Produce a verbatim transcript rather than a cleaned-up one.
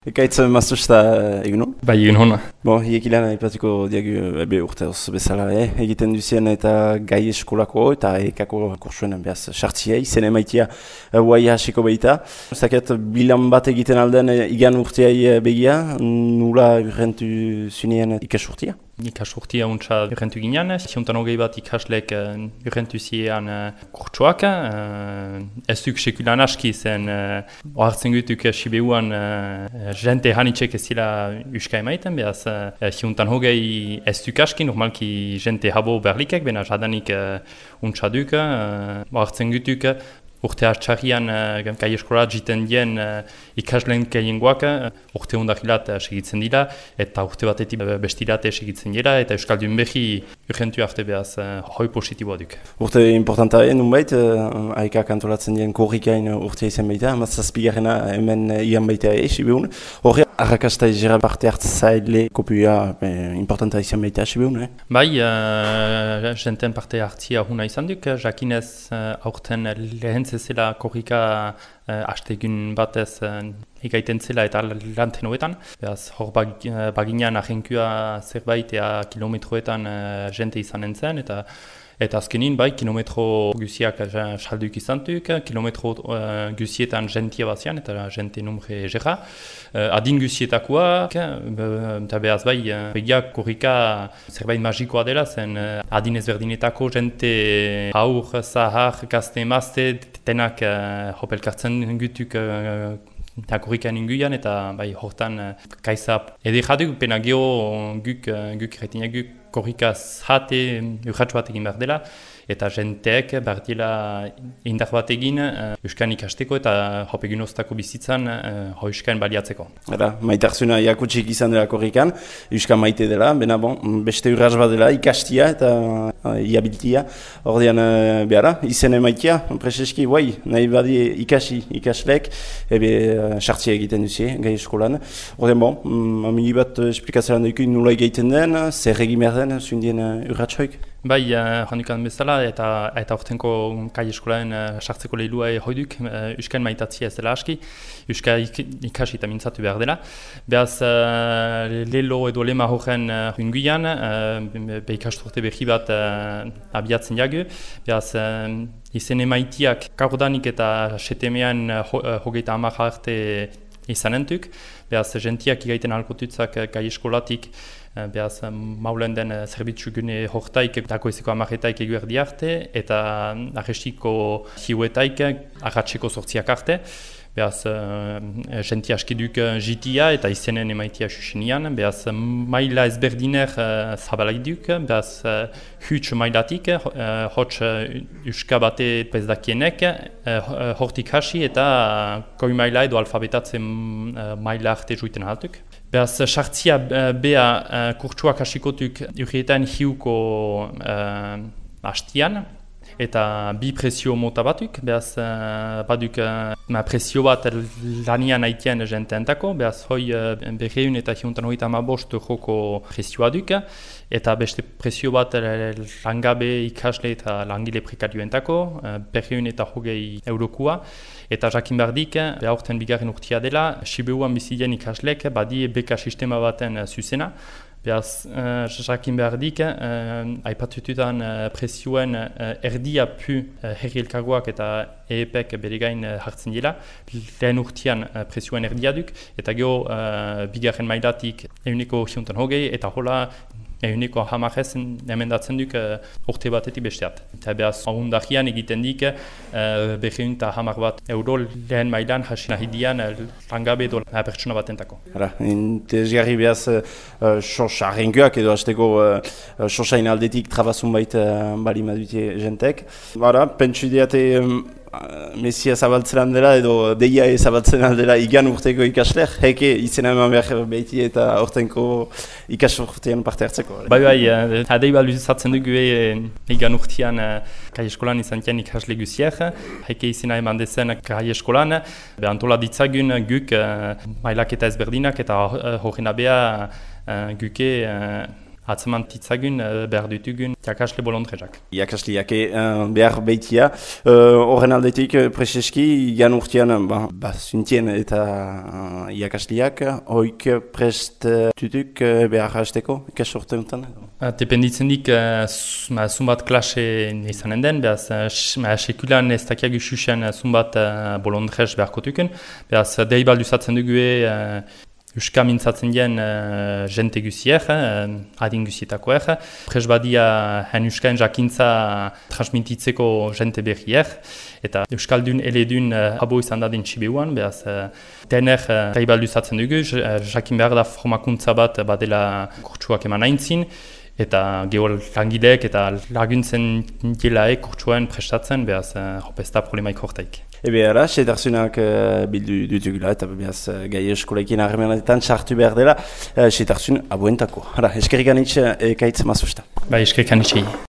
Ekaitz maztusta egun hon? Bai, egun hona. Bon, hiek ilan aipatuko diagu ebe urteoz bezala, eh? Egiten duzien eta gai eskolako eta ekako kursuen behaz sartziei, zen emaitia guai hasiko behita. Zaket bilan bat egiten alden igan urteai begia, nula urrentu zunien ikasurtia? Ikasurtia untsa urrentu ginean, ziontan hogei bat ikaslek urrentu ziean kurtsuak. Ez duk sekulan aski zen, ohartzen gutuk Sibeuan jente hanitxek ez zila uska emaiten, behaz ziontan hogei ez duk aski, normalki jente habo berlikek, bena jadanik untsa duk, ohartzen gutuk. Urte hartxarrian uh, gai eskola jiten dien uh, ikasleen gehiengoak uh, urte hundakilat uh, segitzen dira eta urte batetik uh, bestirate segitzen dira eta Euskaldun behi urgentu arte behaz uh, hoi positiboa duk. Urte importanta egin nunbait, uh, haikak antolatzen dien korrikain urte izan baita, matzazpigarrena hemen uh, ian baita egi, Sibeun. Horre, arrakasta izera parte hartzaile kopua eh, importanta izan baita, Sibeun, eh? Bai, uh, jenten parte hartzia huna izan duk, jakinez uh, aurten lehen zela korrika uh, astegun batez uh, ikaiten zela eta lanten hoetan. Beaz, hor bag, uh, baginean ahenkua zerbait ea kilometroetan uh, jente izanen zen eta Eta azkenin, bai, kilometro guziak salduk izantuk, kilometro uh, guzietan jentia bazian, eta jente numre jera. Uh, adin guzietakoak, eta behaz bai, uh, begiak korrika zerbait magikoa dela, zen uh, adin ezberdinetako jente haur, zahar, gazte, emazte, denak uh, hopelkartzen gutuk uh, eta korrikan inguian, eta bai, hortan uh, kaisa edekaduk, pena geho guk, uh, guk retinak guk, korrikaz jate urratx bat egin behar dela, eta jenteek behar dela indar bat egin uh, Euskan ikasteko eta hopegun oztako bizitzan uh, Euskan baliatzeko. Hala, maitarzuna jakutsik izan dela korrikan, Euskan maite dela, bena bon, beste urratx bat dela ikastia eta uh, iabiltia. Ordean uh, behara, izen emaitia, preseski, guai, nahi badi ikasi ikaslek, ebe sartzia uh, egiten duzie, gai eskolan. Ordean bon, um, amili bat uh, esplikatzen dugu nula egiten den, zer egin behar den, zundien uh, urratxoik? Bai, uh, handukan bezala, eta eta ortenko kai eskolaen uh, sartzeko lehilua hoiduk, uh, Euskan maitatzia ez dela aski, Euska ik, ikasi eta mintzatu behar dela. Beaz, uh, lehilo edo lema horren uh, unguian, uh, be ikasturte behi bat uh, abiatzen jagu. Beaz, uh, izen emaitiak kaurdanik eta setemean uh, ho, uh, hogeita hamar arte izanentuk. Beaz, gentiak igaiten alkotutzak gai eskolatik, behaz, maulen den zerbitzu gune hortaik, dagoizeko amaretaik eguerdi arte, eta arrestiko hiuetaik arratseko sortziak arte. Behaz, uh, jenti askiduk jitia eta izenen emaitia susenian. Behaz, maila ezberdiner uh, zabalak duk. Behaz, uh, huts mailatik, uh, hots uh, uska bate pezdakienek, uh, hortik hasi eta uh, goi maila edo alfabetatzen uh, maila arte juiten haltuk. Behaz, sartzia uh, bea uh, kurtsuak hasikotuk urrietan hiuko uh, hastian. Eta bi presio mota batuk, behaz uh, baduk uh, presio bat lanian haitien jenteentako, behaz hoi uh, berreun eta hiuntan hoita amabost joko presioa duk, eta beste presio bat langabe ikasle eta langile prekarioentako, uh, berreun eta hogei eurokua, eta jakin bardik, behaurten bigarren urtia dela, Sibeuan bizien ikaslek badi beka sistema baten uh, zuzena. Behaz, uh, jakin behar dik, uh, aipatututan uh, presioen uh, erdia pu uh, herri elkargoak eta E E P-ek bere gain uh, hartzen dira. Lehen urtean uh, presioen erdia duk, eta geho uh, bigarren mailatik euneko hiuntan hogei, eta hola euneko hamarrez emendatzen duk uh, urte batetik besteat. Eta behaz, ahondakian egiten dik, uh, berreun eta hamar bat euro lehen mailan hasi nahi dian uh, langabe edo uh, pertsona batentako. Hala, interesgarri behaz, uh, sos arrenkoak edo hasteko uh, sosain aldetik trabazun baita bali madute jentek. Bara, pentsu ideate um, Mesia zabaltzen dela edo deia zabaltzen aldela igan urteko ikasler, heke izena eman behar behiti eta urtenko ikas urtean parte hartzeko. Bai, bai, adei bat luzatzen dugu e, igan urtean kai eskolan izan tien ikasle guziak, heke izena eman dezen kai eskolan, behantola ditzagun guk mailak eta ezberdinak eta horren abea guke atzeman titzagun uh, behar ditugun jakasle bolondrezak. Iakasliak uh, behar behitia. Horren uh, aldetik, preseski, gan urtean, ba, ba zuntien eta uh, iakasliak, hoik prest uh, tutuk uh, behar hasteko, ikas urte untan? Uh, dependitzen dik, uh, zumbat klase izanen den, behaz, uh, sekulan ez dakiak ususen zumbat uh, bolondrez beharko tuken, behaz, dei balduzatzen dugu uh, Euska mintzatzen dien uh, jente guziek, uh, adin guzietakoek. Prez badia hen Euskaen jakintza transmititzeko jente berriek. Eta Euskaldun eledun uh, abo izan dadin txibeuan, behaz uh, dener uh, reibalduzatzen dugu, jakin behar da formakuntza bat badela kurtsuak eman aintzin, eta geol langileek eta laguntzen dielaek kurtsuen prestatzen, behaz uh, ez da problemaik hortaik. Ebe ara, setarzunak uh, bildu dutugula eta behaz uh, gai eskolekin harremanetan sartu behar dela, uh, setarzun abuentako. Hara, eskerrik anitz, ekaitz mazusta. Ba, eskerrik anitz.